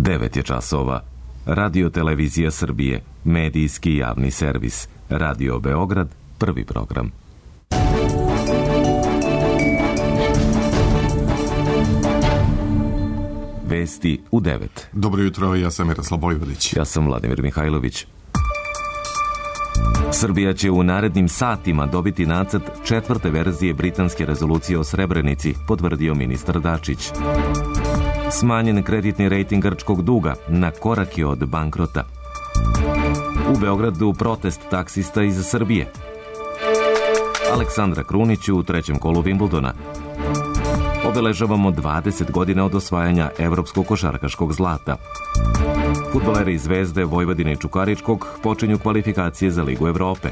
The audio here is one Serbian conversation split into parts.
9 je časova. Radio Televizija Srbije, medijski javni servis. Radio Beograd, prvi program. Vesti u 9. Dobro jutro, ja sam Miroslav Bojvodić. Ja sam Vladimir Mihajlović. Srbija će u narednim satima dobiti nacrt 4. verzije britanske rezolucije o Srebrenici, potvrdio ministar Dačić. Smanjen kreditni rejting grčkog duga, na korak je od bankrota. U Beogradu protest taksista iz Srbije. Aleksandra Krunić u trećem kolu Wimbledona. Obeležavamo 20 godina od osvajanja evropskog košarkaškog zlata. Fudbaleri Zvezde, Vojvodine i Čukaričkog počinju kvalifikacije za Ligu Evrope.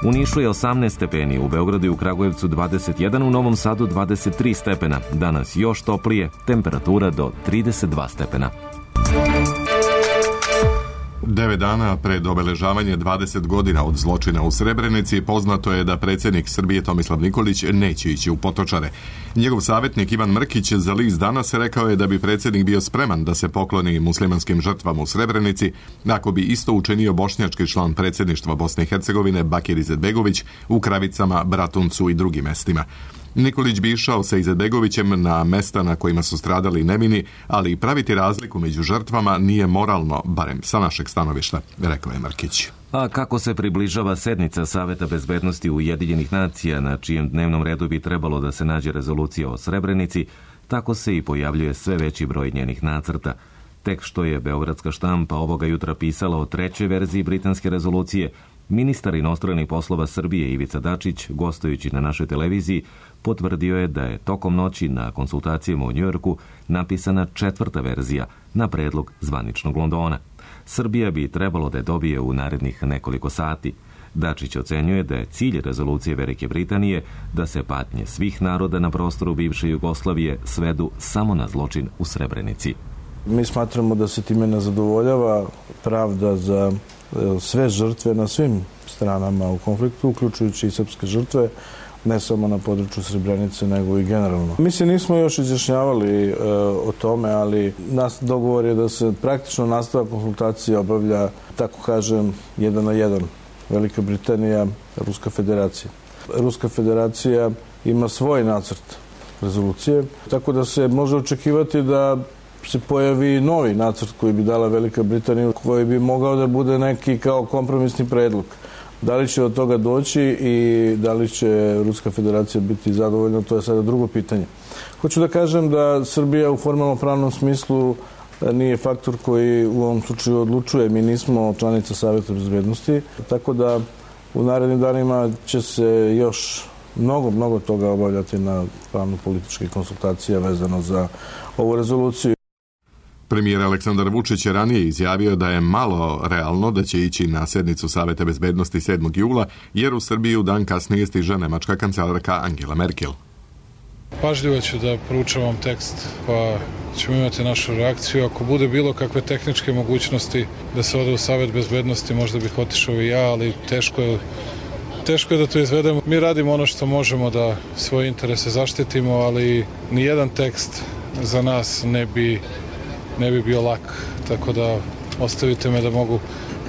U Nišu je 18 stepeni, u Beogradu i u Kragujevcu 21, u Novom Sadu 23 stepena. Danas još toplije, temperatura do 32 stepena. 9 dana pred obeležavanje 20 godina od zločina u Srebrenici poznato je da predsjednik Srbije Tomislav Nikolić neće ići u Potočare. Njegov savjetnik Ivan Mrkić za list Danas rekao je da bi predsjednik bio spreman da se pokloni muslimanskim žrtvama u Srebrenici ako bi isto učinio bošnjački član predsjedništva Bosne i Hercegovine Bakir Izetbegović u Kravicama, Bratuncu i drugim mestima. Nikolić bi išao sa Izetbegovićem na mesta na kojima su stradali nevini, ali praviti razliku među žrtvama nije moralno, barem sa našeg stanovišta, rekao je Mrkić. A kako se približava sednica Saveta bezbednosti Ujedinjenih nacija, na čijem dnevnom redu bi trebalo da se nađe rezolucija o Srebrenici, tako se i pojavljuje sve veći broj njenih nacrta. Tek što je beogradska štampa ovoga jutra pisala o 3. verziji britanske rezolucije, ministar inostranih poslova Srbije Ivica Dačić, gostujući na našoj televiziji, potvrdio je da je tokom noći na konsultacijama u Njujorku napisana 4. verzija na predlog zvaničnog Londona. Srbija bi trebalo da je dobije u narednih nekoliko sati. Dačić ocenjuje da je cilj rezolucije Velike Britanije da se patnje svih naroda na prostoru bivše Jugoslavije svedu samo na zločin u Srebrenici. Mi smatramo da se time ne zadovoljava pravda za sve žrtve na svim stranama u konfliktu, uključujući i srpske žrtve, ne samo na području Srebrenice, nego i generalno. Mi se nismo još izjašnjavali o tome, ali nas dogovor je da se praktično nastavak konsultacija obavlja, tako kažem, 1 na 1. Velika Britanija, Ruska federacija. Ruska federacija ima svoj nacrt rezolucije, tako da se može očekivati da se pojavi novi nacrt koji bi dala Velika Britanija, koji bi mogao da bude neki kao kompromisni predlog. Da li će od toga doći i da li će Ruska federacija biti zadovoljna, to je sada drugo pitanje. Hoću da kažem da Srbija u formalno-pravnom smislu nije faktor koji u ovom slučaju odlučuje. Mi nismo članica Saveta bezbednosti, tako da u narednim danima će se još mnogo toga obavljati na pravno-političke konsultacije vezano za ovu rezoluciju. Premijer Aleksandar Vučić je ranije izjavio da je malo realno da će ići na sednicu Saveta bezbednosti 7. jula, jer u Srbiju dan kasnije stiže nemačka kancelarka Angela Merkel. Pažljivo ću da proučavam tekst, pa ćemo imati našu reakciju. Ako bude bilo kakve tehničke mogućnosti da se ode u Savet bezbednosti, možda bih otišao i ja, ali teško je da to izvedemo. Mi radimo ono što možemo da svoje interese zaštitimo, ali nijedan tekst za nas ne bi bio lak, tako da ostavite me da mogu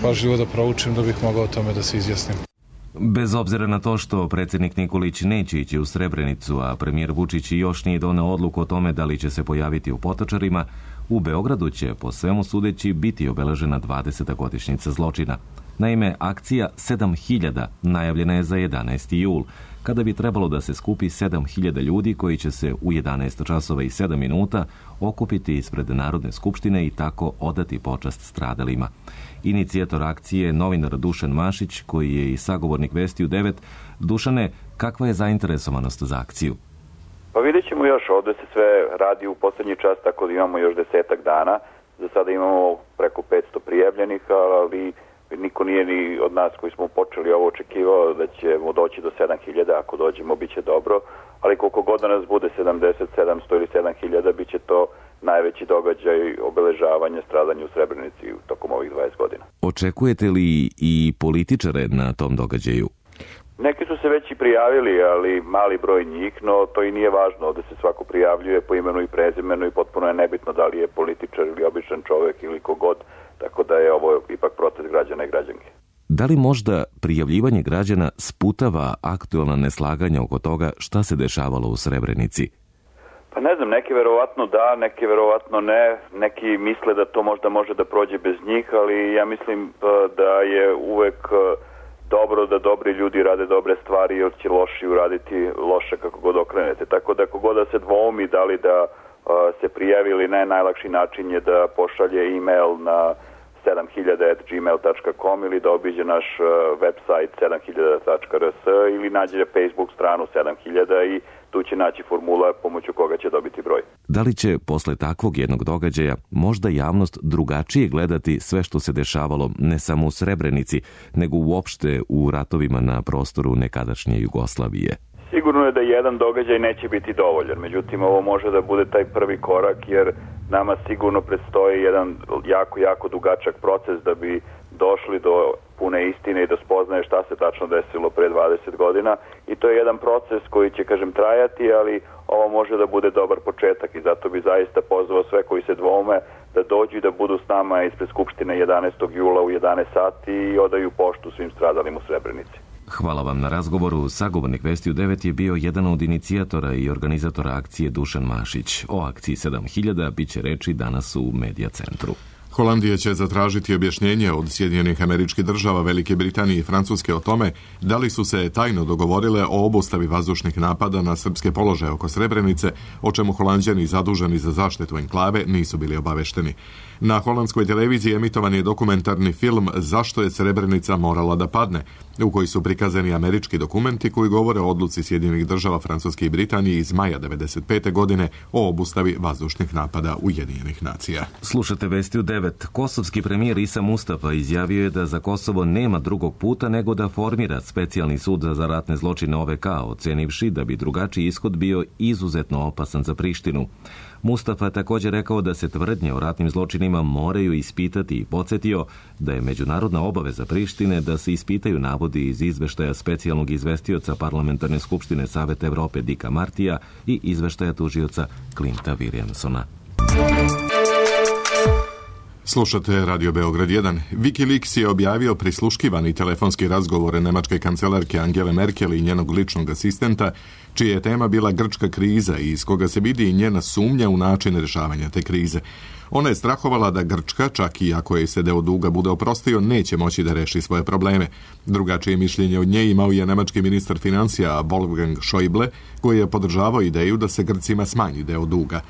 pažljivo da proučim da bih mogao o tome da se izjasnim. Bez obzira na to što predsjednik Nikolić neće ići u Srebrenicu, a premijer Vučić još nije doneo odluku o tome da li će se pojaviti u Potočarima, u Beogradu će, po svemu sudeći, biti obeležena 20. godišnjica zločina. Naime, akcija 7000 najavljena je za 11. jul, kada bi trebalo da se skupi 7000 ljudi koji će se u 11 časova i 7 minuta okupiti ispred Narodne skupštine i tako odati počast stradalima. Inicijator akcije je novinar Dušan Mašić, koji je i sagovornik Vesti u 9. Dušane, kakva je zainteresovanost za akciju? Pa vidjet ćemo još, ovdje se sve radi u posljednji čas, tako da imamo još 10 dana. Za sada imamo preko 500 prijavljenih, ali niko nije ni od nas koji smo počeli ovo očekivao da ćemo doći do 7000, ako dođemo bit će dobro, ali koliko god da nas bude 70, 700 ili 7000, bit će to najveći događaj obeležavanja stradanja u Srebrenici tokom ovih 20 godina. Očekujete li i političare na tom događaju? Neki su se već i prijavili, ali mali broj njih, no to i nije važno. Ovde se svako prijavljuje po imenu i prezimenu i potpuno je nebitno da li je političar ili običan čovek ili kogod, tako da je ovo ipak proces građana i građanke. Da li možda prijavljivanje građana sputava aktualna neslaganja oko toga šta se dešavalo u Srebrenici? Pa ne znam, neki verovatno da, neki verovatno ne, neki misle da to možda može da prođe bez njih, ali ja mislim da je uvek dobro da dobri ljudi rade dobre stvari, jer će loši uraditi loše kako god okrenete. Tako da kogod da se dvoumi da li da se prijavi ili ne, najlakši način je da pošalje e-mail na 7000@gmail.com ili da obiđe naš website 7000.rs ili nađe Facebook stranu 7000 i tu će naći formula pomoću koga će dobiti broj. Da li će posle takvog jednog događaja možda javnost drugačije gledati sve što se dešavalo ne samo u Srebrenici, nego uopšte u ratovima na prostoru nekadašnje Jugoslavije? Sigurno je da jedan događaj neće biti dovoljan, međutim ovo može da bude taj prvi korak jer nama sigurno predstoji jedan jako dugačak proces da bi došli do pune istine i do spoznaje šta se tačno desilo pre 20 godina i to je jedan proces koji će, trajati, ali ovo može da bude dobar početak i zato bi zaista pozvao sve koji se dvoume da dođu i da budu s nama ispred Skupštine 11. jula u 11 sati i odaju poštu svim stradalim u Srebrenici. Hvala vam na razgovoru. Sagovornik Vesti u 9 je bio jedan od inicijatora i organizatora akcije Dušan Mašić. O akciji 7000 bit će reči danas u Medija centru. Holandija će zatražiti objašnjenje od Sjedinjenih Američkih Država, Velike Britanije i Francuske o tome da li su se tajno dogovorile o obustavi vazdušnih napada na srpske položaje oko Srebrenice, o čemu Holanđani zaduženi za zaštitu enklave nisu bili obavešteni. Na holandskoj televiziji emitovan je dokumentarni film Zašto je Srebrenica morala da padne, u koji su prikazani američki dokumenti koji govore o odluci Sjedinjenih Država, Francuske i Britanije iz maja 1995. godine o obustavi vazdušnih napada Ujedinjenih nacija. Slušate Vesti u 9. Kosovski premijer Isa Mustafa izjavio je da za Kosovo nema drugog puta nego da formira specijalni sud za ratne zločine OVK, ocenivši da bi drugačiji ishod bio izuzetno opasan za Prištinu. Mustafa je također rekao da se tvrdnje o ratnim zločinima moraju ispitati i podsjetio da je međunarodna obaveza Prištine da se ispitaju navodi iz izveštaja specijalnog izvestioca Parlamentarne skupštine Saveta Evrope Dicka Martija i izveštaja tužioca Clinta Williamsona. Slušate Radio Beograd 1. Wikileaks je objavio prisluškivani telefonski razgovor nemačke kancelarke Angele Merkel i njenog ličnog asistenta, čija je tema bila grčka kriza i iz koga se vidi i njena sumnja u način rješavanja te krize. Ona je strahovala da Grčka, čak i ako je se deo duga bude oprostio, neće moći da reši svoje probleme. Drugačije mišljenje od nje imao je nemački ministar financija Wolfgang Schäuble, koji je podržavao ideju da se Grcima smanji deo duga.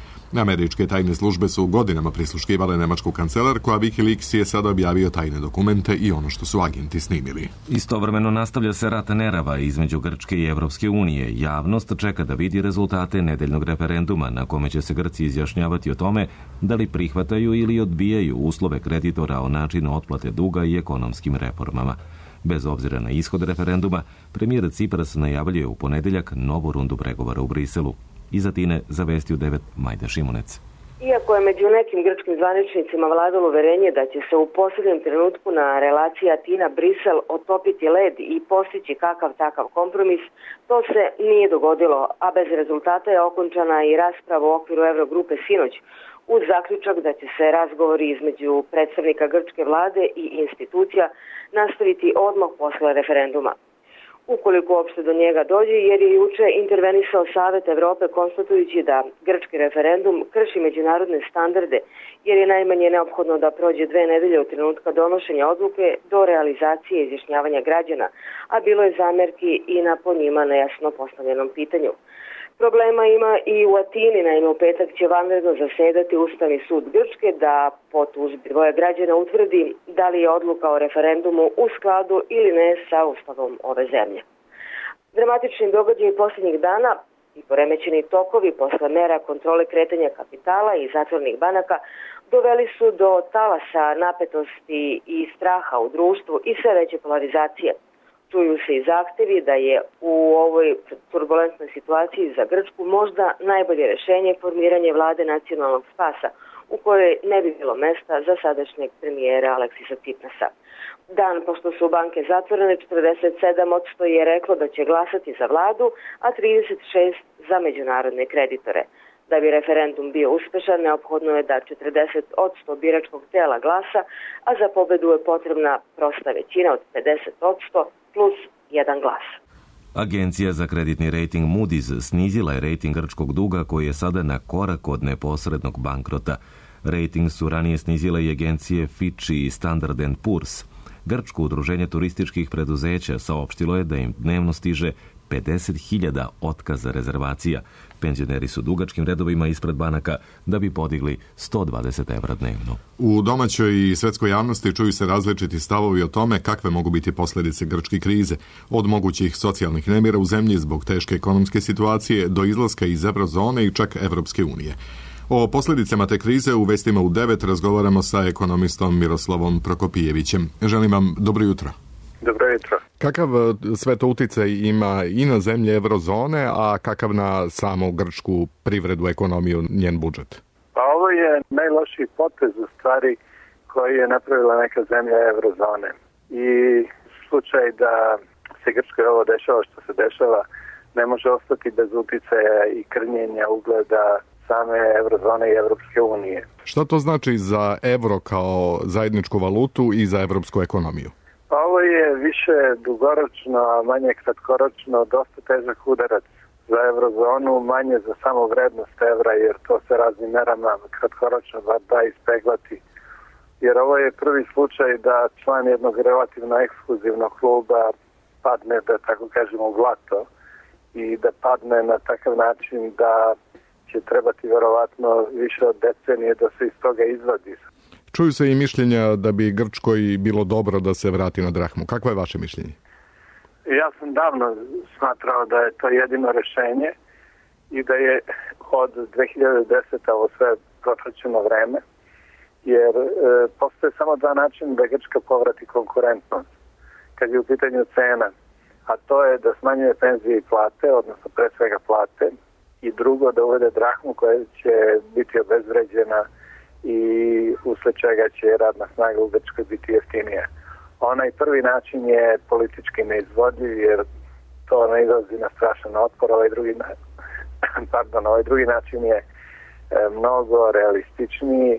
Američke tajne službe su godinama prisluškivale nemačku kancelarku, a Wikileaks je sada objavio tajne dokumente i ono što su agenti snimili. Istovremeno nastavlja se rat nerava između Grčke i Evropske unije. Javnost čeka da vidi rezultate nedeljnog referenduma na kome će se Grci izjašnjavati o tome da li prihvataju ili odbijaju uslove kreditora o načinu otplate duga i ekonomskim reformama. Bez obzira na ishod referenduma, premijer Cipras najavljuje u ponedeljak novu rundu pregovora u Briselu. Iz Atine za Vesti u 9 Majda Šimunec. Iako je među nekim grčkim zvaničnicima vladalo uverenje da će se u posljednjem trenutku na relaciji Atina-Brisel otopiti led i postići kakav takav kompromis, to se nije dogodilo, a bez rezultata je okončana i rasprava u okviru Eurogrupe sinoć, uz zaključak da će se razgovori između predstavnika grčke vlade i institucija nastaviti odmah posle referenduma. Ukoliko uopšte do njega dođe, jer je juče intervenisao Savet Evrope konstatujući da grčki referendum krši međunarodne standarde, jer je najmanje neophodno da prođe 2 nedelje od trenutka donošenja odluke do realizacije izjašnjavanja građana, a bilo je zamerki i na po njima nejasno postavljenom pitanju. Problema ima i u Atini, naime u petak će vanredno zasedati Ustavni sud Grčke da po tužbi dvoje građana utvrdi da li je odluka o referendumu u skladu ili ne sa ustavom ove zemlje. Dramatični događaji posljednjih dana i poremećeni tokovi posle mera kontrole kretanja kapitala i zatvornih banaka doveli su do talasa napetosti i straha u društvu i sve veće polarizacije. Čuju se i zahtevi da je u ovoj turbulentnoj situaciji za Grčku možda najbolje rješenje formiranje vlade nacionalnog spasa u kojoj ne bi bilo mesta za sadašnjeg premijera Aleksisa Tsiprasa. Dan pošto su banke zatvorene, 47% je reklo da će glasati za vladu, a 36% za međunarodne kreditore. Da bi referendum bio uspešan, neophodno je da 40% biračkog tela glasa, a za pobedu je potrebna prosta većina od 50% plus jedan glas. Agencija za kreditni rating Moody's snizila je rating grčkog duga koji je sada na korak od neposrednog bankrota. Rating su ranije snizile i agencije Fitch i Standard & Poor's. Grčko udruženje turističkih preduzeća saopštilo je da im dnevno stiže 50.000 otkaza rezervacija. Penzioneri su dugačkim redovima ispred banaka da bi podigli 120 evra dnevno. U domaćoj i svetskoj javnosti čuju se različiti stavovi o tome kakve mogu biti posljedice grčke krize, od mogućih socijalnih nemira u zemlji zbog teške ekonomske situacije do izlaska iz eurozone i čak Evropske unije. O posljedicama te krize u Vestima u 9 razgovaramo sa ekonomistom Miroslavom Prokopijevićem. Želim vam dobro jutro. Dobro jutro. Kakav sve to utjecaj ima i na zemlje eurozone, a kakav na samu grčku privredu, ekonomiju, njen budžet? Pa ovo je najlošiji potez u stvari koji je napravila neka zemlja eurozone. I slučaj da se Grčkoj ovo dešava što se dešava ne može ostati bez utjecaja i krnjenja ugleda same eurozone i Evropske unije. Šta to znači za euro kao zajedničku valutu i za evropsku ekonomiju? Pa ovo je više dugoročno, a manje kratkoročno, dosta težak udarac za eurozonu, manje za samu vrednost evra, jer to se raznim merama kratkoročno da ispeglati. Jer ovo je prvi slučaj da član jednog relativno ekskluzivnog kluba padne, da tako kažemo, u blato i da padne na takav način da će trebati verovatno više od decenije da se iz toga izvadi. Čuju se i mišljenja da bi Grčkoj bilo dobro da se vrati na drahmu. Kakvo je vaše mišljenje? Ja sam davno smatrao da je to jedino rešenje i da je od 2010. ovo sve protraćeno vreme, jer postoje samo dva načina da Grčka povrati konkurentnost kad je u pitanju cena, a to je da smanjuje penzije i plate, odnosno pre svega plate, i drugo da uvede drahmu koja će biti obezvređena i usled čega će radna snaga u Grčkoj biti jeftinija. Onaj prvi način je politički neizvodljiv jer to ne izlazi na strašan otpor, ovaj drugi način je mnogo realističniji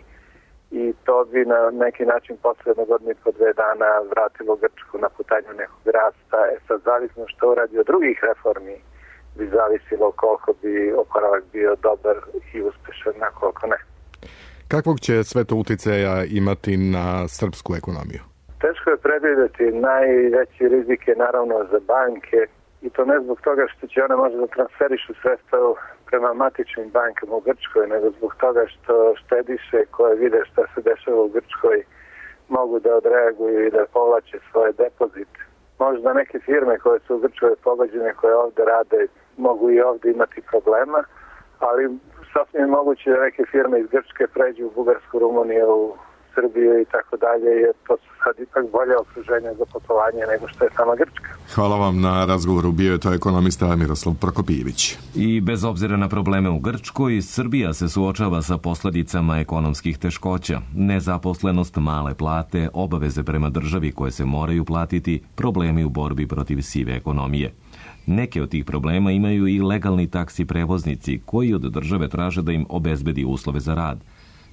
i to bi na neki način posledno godinu i po 2 dana vratilo Grčku na putanju nekog rasta. Sad zavisno što uradi od drugih reformi bi zavisilo koliko bi oporavak bio dobar i uspešan, na koliko ne. Kakvog će sve to utjecaja imati na srpsku ekonomiju? Teško je predvidjeti. Najveći rizik je naravno za banke i to ne zbog toga što će one možda transferišu sredstva prema matičnim bankama u Grčkoj, nego zbog toga što štediše koje vide šta se dešava u Grčkoj mogu da odreaguju i da povlače svoje depozite. Možda neke firme koje su u Grčkoj pogođene, koje ovde rade, mogu i ovde imati problema, ali sasvim moguće da neke firme iz Grčke pređu u Bugarsku, Rumuniju, Srbiju i tako dalje, jer to su sad ipak bolje okruženje za poslovanje nego što je sama Grčka. Hvala vam na razgovoru. Bio je to ekonomista Miroslav Prokopijević. I bez obzira na probleme u Grčkoj, Srbija se suočava sa posljedicama ekonomskih teškoća. Nezaposlenost, male plate, obaveze prema državi koje se moraju platiti, problemi u borbi protiv sive ekonomije. Neke od tih problema imaju i legalni taksi prevoznici koji od države traže da im obezbedi uslove za rad.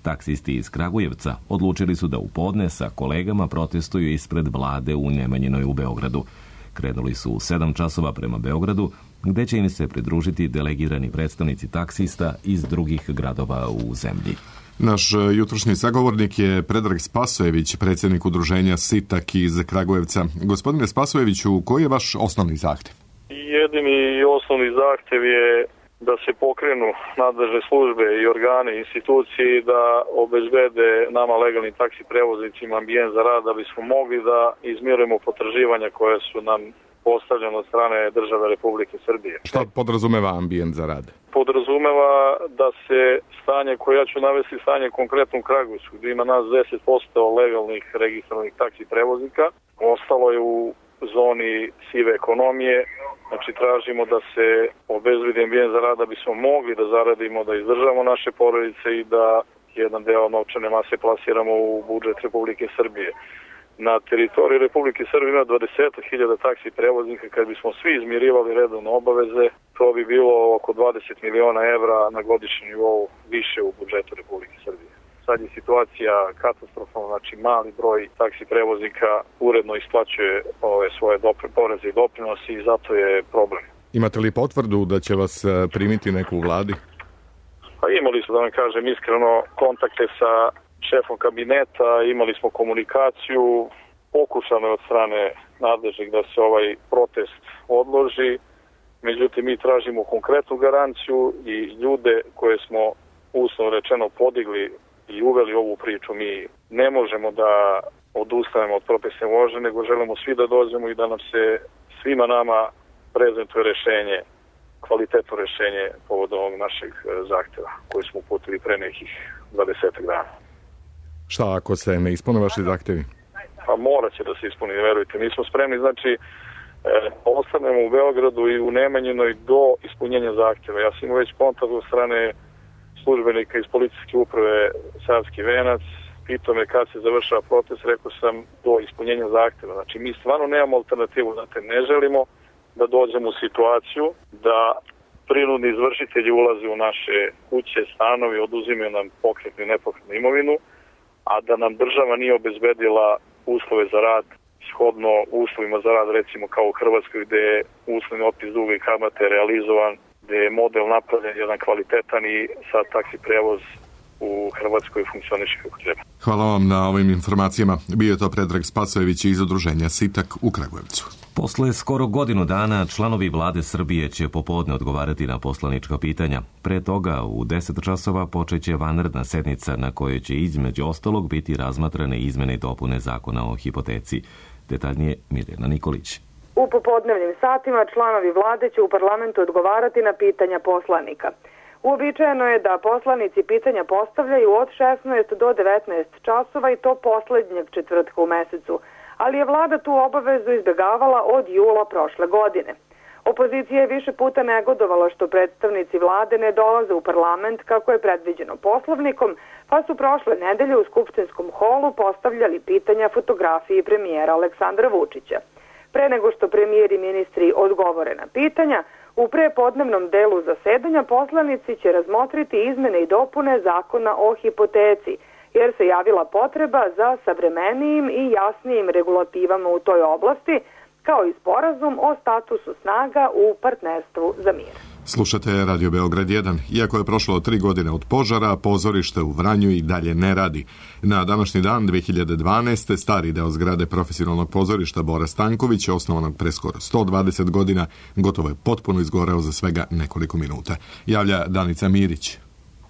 Taksisti iz Kragujevca odlučili su da u podne sa kolegama protestuju ispred vlade u Nemanjinoj u Beogradu. Krenuli su u 7 časova prema Beogradu, gde će im se pridružiti delegirani predstavnici taksista iz drugih gradova u zemlji. Naš jutrošnji sagovornik je Predrag Spasojević, predsjednik udruženja SITAK iz Kragujevca. Gospodine Spasojeviću, koji je vaš osnovni zahtjev? Jedini i osnovni zahtjev je da se pokrenu nadležne službe i organe, institucije i da obezbede nama legalnim taksi prevoznicima ambijent za rad da bismo mogli da izmirujemo potraživanja koje su nam postavljene od strane države Republike Srbije. Šta podrazumeva ambijent za rad? Podrazumeva da se stanje, koje ja ću navesti stanje konkretno u Kragujevcu, gdje ima nas 10% legalnih registrovanih taksi prevoznika, ostalo je u zoni sive ekonomije. Znači tražimo da se obezbedi ambijent za rad da bismo mogli da zaradimo, da izdržamo naše porodice i da jedan deo novčane mase plasiramo u budžet Republike Srbije. Na teritoriji Republike Srbije ima 20.000 taksi prevoznika. Kad bismo svi izmirivali redovno obaveze, to bi bilo oko 20 miliona evra na godišnjem nivou više u budžetu Republike Srbije. Sad je situacija katastrofalna, znači mali broj taksi prevoznika uredno isplaćuje ove svoje poreze i doprinosi i zato je problem. Imate li potvrdu da će vas primiti neku u vladi? Pa imali smo, da vam kažem iskreno, kontakte sa šefom kabineta, imali smo komunikaciju, pokušano je od strane nadležnih da se ovaj protest odloži, međutim mi tražimo konkretnu garanciju i ljude koje smo uslovno rečeno podigli i uveli ovu priču. Mi ne možemo da odustanemo od protestne vožnje, nego želimo svi da dođemo i da nam se svima nama prezentuje rešenje, kvalitetno rešenje povodom ovog našeg zahteva koji smo uputili pre nekih 20 dana. Šta ako se ne ispune vaši zahtevi? Pa morat će da se ispuni, verujte. Mi smo spremni, znači, ostanemo u Beogradu i u Nemanjinoj do ispunjenja zahteva. Ja sam imao već kontakt od strane službenika iz policijske uprave Savski Venac, pitao me kad se završava protest, rekao sam do ispunjenja zahteva. Znači, mi stvarno nemamo alternativu, znate, ne želimo da dođemo u situaciju da prinudni izvršitelji ulaze u naše kuće, stanovi, oduzimaju nam pokretnu i nepokretnu imovinu, a da nam država nije obezbedila uslove za rad, shodno uslovima za rad, recimo kao u Hrvatskoj, gde je uslovni otpis duga i kamate realizovan, gde je model napravljen jedan kvalitetan i sad taksi prevoz u Hrvatskoj funkcioniše kako treba. Hvala vam na ovim informacijama. Bio je to Predrag Spasojević iz udruženja Sitak u Kragujevcu. Posle skoro godinu dana članovi vlade Srbije će popodne odgovarati na poslanička pitanja. Pre toga u 10 časova počeće vanredna sednica na kojoj će između ostalog biti razmatrane izmene i dopune zakona o hipoteci. Detaljnije Mirjana Nikolić. U popodnevnim satima članovi vlade će u parlamentu odgovarati na pitanja poslanika. Uobičajeno je da poslanici pitanja postavljaju od 16 do 19 časova i to poslednjeg četvrtka u mesecu, ali je vlada tu obavezu izbjegavala od jula prošle godine. Opozicija je više puta negodovala što predstavnici vlade ne dolaze u parlament kako je predviđeno poslovnikom, pa su prošle nedelje u skupštinskom holu postavljali pitanja fotografiji premijera Aleksandra Vučića. Pre nego što premijer i ministri odgovore na pitanja, u prepodnevnom delu zasedanja poslanici će razmotriti izmene i dopune zakona o hipoteci, jer se javila potreba za savremenijim i jasnijim regulativama u toj oblasti, kao i sporazum o statusu snaga u partnerstvu za mir. Slušate Radio Beograd 1. Iako je prošlo 3 godine od požara, pozorište u Vranju i dalje ne radi. Na današnji dan 2012. stari deo zgrade profesionalnog pozorišta Bora Stanković, osnovanog pre skoro 120 godina, gotovo je potpuno izgoreo za svega nekoliko minuta. Javlja Danica Mirić.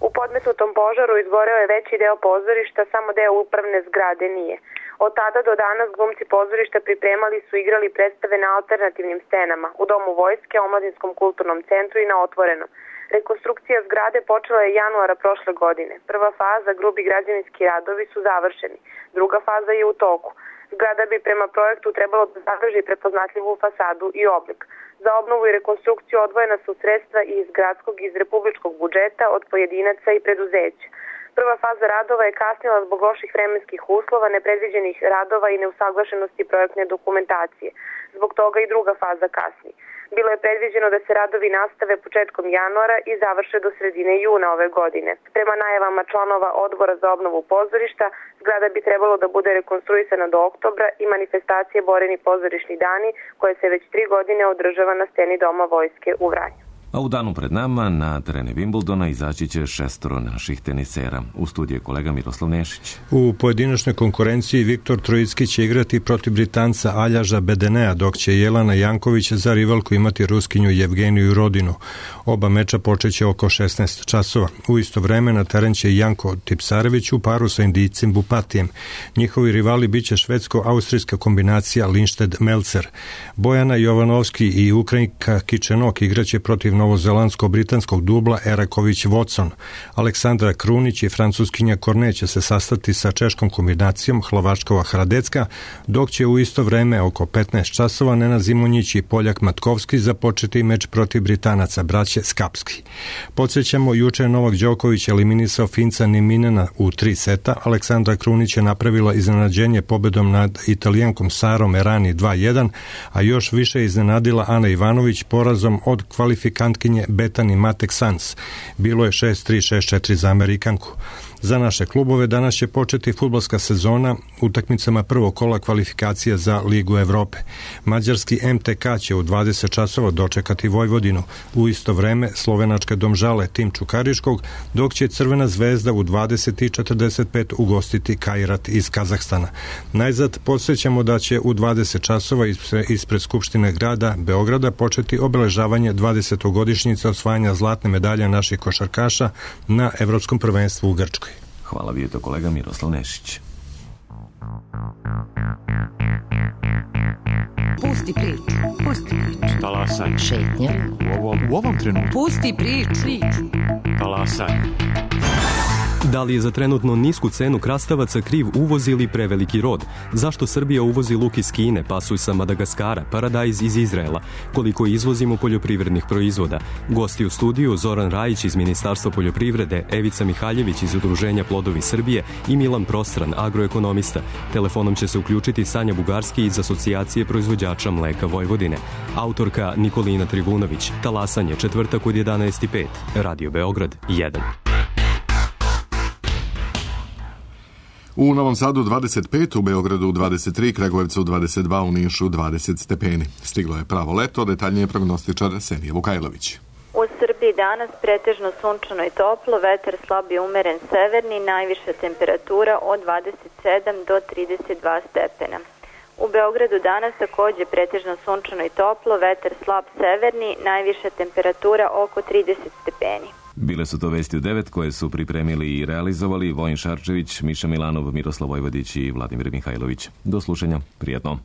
U podmetnutom požaru izgoreo je veći deo pozorišta, samo deo upravne zgrade nije. Od tada do danas glumci pozorišta pripremali su igrali predstave na alternativnim scenama, u Domu vojske, Omladinskom kulturnom centru i na otvorenom. Rekonstrukcija zgrade počela je januara prošle godine. Prva faza, grubi građevinski radovi, su završeni. Druga faza je u toku. Zgrada bi prema projektu trebalo da zadrži prepoznatljivu fasadu i oblik. Za obnovu i rekonstrukciju odvojena su sredstva i iz gradskog i iz republičkog budžeta, od pojedinaca i preduzeća. Prva faza radova je kasnila zbog loših vremenskih uslova, nepredviđenih radova i neusaglašenosti projektne dokumentacije. Zbog toga i druga faza kasni. Bilo je predviđeno da se radovi nastave početkom januara i završe do sredine juna ove godine. Prema najavama članova odbora za obnovu pozorišta, zgrada bi trebalo da bude rekonstruisana do oktobra i manifestacije Boreni pozorišni dani, koje se već 3 godine održava na sceni Doma vojske u Vranju. A u danu pred nama na terene Wimbledona izaći će 6 naših tenisera. U studiju je kolega Miroslav Nešić. U pojedinačnoj konkurenciji Viktor Trojicki će igrati protiv Britanca Aljaža Bedenea, dok će Jelena Janković za rivalku imati Ruskinju Jevgeniju Rodinu. Oba meča počeće oko 16 časova. U isto vreme na teren će Janko Tipsarević u paru sa Indijcem Bupatijem. Njihovi rivali biće švedsko-austrijska kombinacija Lindstedt-Melzer. Bojana Jovanovski i Ukrajinka Kičenok igraće protiv novozelandsko-britanskog dubla Eraković-Watson. Aleksandra Krunić i francuskinja Kornet će se sastati sa češkom kombinacijom Hlavačkova-Hradecka, dok će u isto vreme oko 15 časova Nenad Zimonjić i Poljak Matkovski započeti meč protiv Britanaca, braće Skapski. Podsjećamo, juče je Novak Đoković eliminisao Finca Niminena u 3 seta. Aleksandra Krunić je napravila iznenađenje pobedom nad Italijankom Sarom Errani 2-1, a još više iznenadila Ana Ivanović porazom od kvalifikantkinje Bethany Mattek-Sands. Bilo je 6-3, 6-4 za Amerikanku. Za naše klubove danas će početi fudbalska sezona utakmicama prvog kola kvalifikacija za Ligu Evrope. Mađarski MTK će u 20 časova dočekati Vojvodinu. U isto vreme slovenačke Domžale tim Čukariškog, dok će Crvena zvezda u 20:45 ugostiti Kairat iz Kazahstana. Najzad podsjećamo da će u 20 časova ispred Skupštine grada Beograda početi obeležavanje 20-godišnjice osvajanja zlatne medalje naših košarkaša na Evropskom prvenstvu u Grčkoj. Hvala, vi je to kolega Miroslav Nešić. Pusti priču, pusti priču. Talasaj. Šetnja. U ovom trenutku. Pusti priču. Talasaj. Da li je za trenutno nisku cenu krastavaca kriv uvoz ili preveliki rod? Zašto Srbija uvozi luk iz Kine, pasulj sa Madagaskara, paradajz iz Izraela? Koliko izvozimo poljoprivrednih proizvoda? Gosti u studiju Zoran Rajić iz Ministarstva poljoprivrede, Evica Mihaljević iz Udruženja Plodovi Srbije i Milan Prostran, agroekonomista. Telefonom će se uključiti Sanja Bugarski iz Asocijacije proizvođača mleka Vojvodine. Autorka Nikolina Trivunović. Talasanje, četvrtak od 11:05. Radio Beograd 1. U Novom Sadu 25, u Beogradu 23, Kragujevcu 22, u Nišu 20 stepeni. Stiglo je pravo leto, detaljnije prognostičar Senija Vukajlović. U Srbiji danas pretežno sunčano i toplo, vetar slab i umeren severni, najviša temperatura od 27 do 32 stepena. U Beogradu danas takođe pretežno sunčano i toplo, vetar slab severni, najviša temperatura oko 30 stepeni. Bile su to vesti u 9 koje su pripremili i realizovali Vojin Šarčević, Miša Milanov, Miroslav Vojvodić i Vladimir Mihajlović. Do slušanja, prijatno.